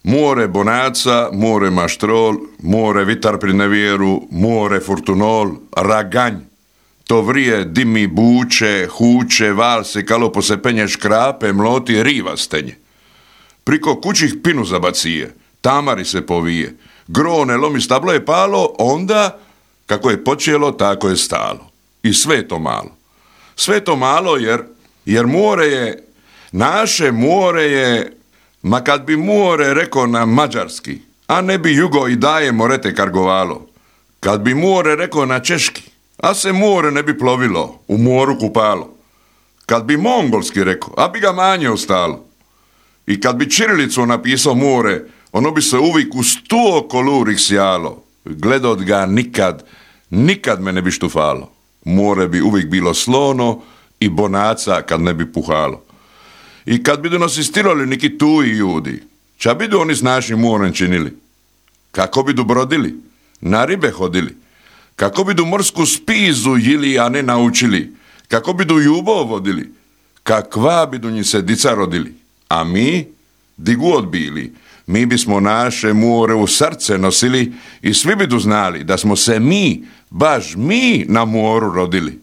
More bonaca, more maštrol, more vitar pri nevjeru, more furtunol, raganj. To vrije, dimi, buče, huče, valse, kalopo se penje škrape, mloti, riva stenje. Priko kućih pinu zabacije, tamari se povije, grone lomi stablo je palo, onda, kako je počelo, tako je stalo. I sve to malo. Sve to malo jer more je, naše more je, ma kad bi more rekao na mađarski, a ne bi jugo i daje morete kargovalo. Kad bi more rekao na češki, a se more ne bi plovilo, u moru kupalo. Kad bi mongolski rekao, a bi ga manje ostalo. I kad bi čirilicu napisao more, ono bi se uvijek u 100 kolurih sjalo. Gledot ga nikad me ne bi štufalo. More bi uvijek bilo slono i bonaca kad ne bi puhalo. I kad bi nas istirali neki tuji ljudi, ča bi oni s našim morem činili? Kako bi brodili? Na ribe hodili? Kako bi morsku spizu jili, a ne naučili? Kako bi jubo vodili? Kakva bi njih se dica rodili? A mi, di god bili, mi bismo naše more u srce nosili i svi bi znali da smo se mi, baš mi na moru rodili.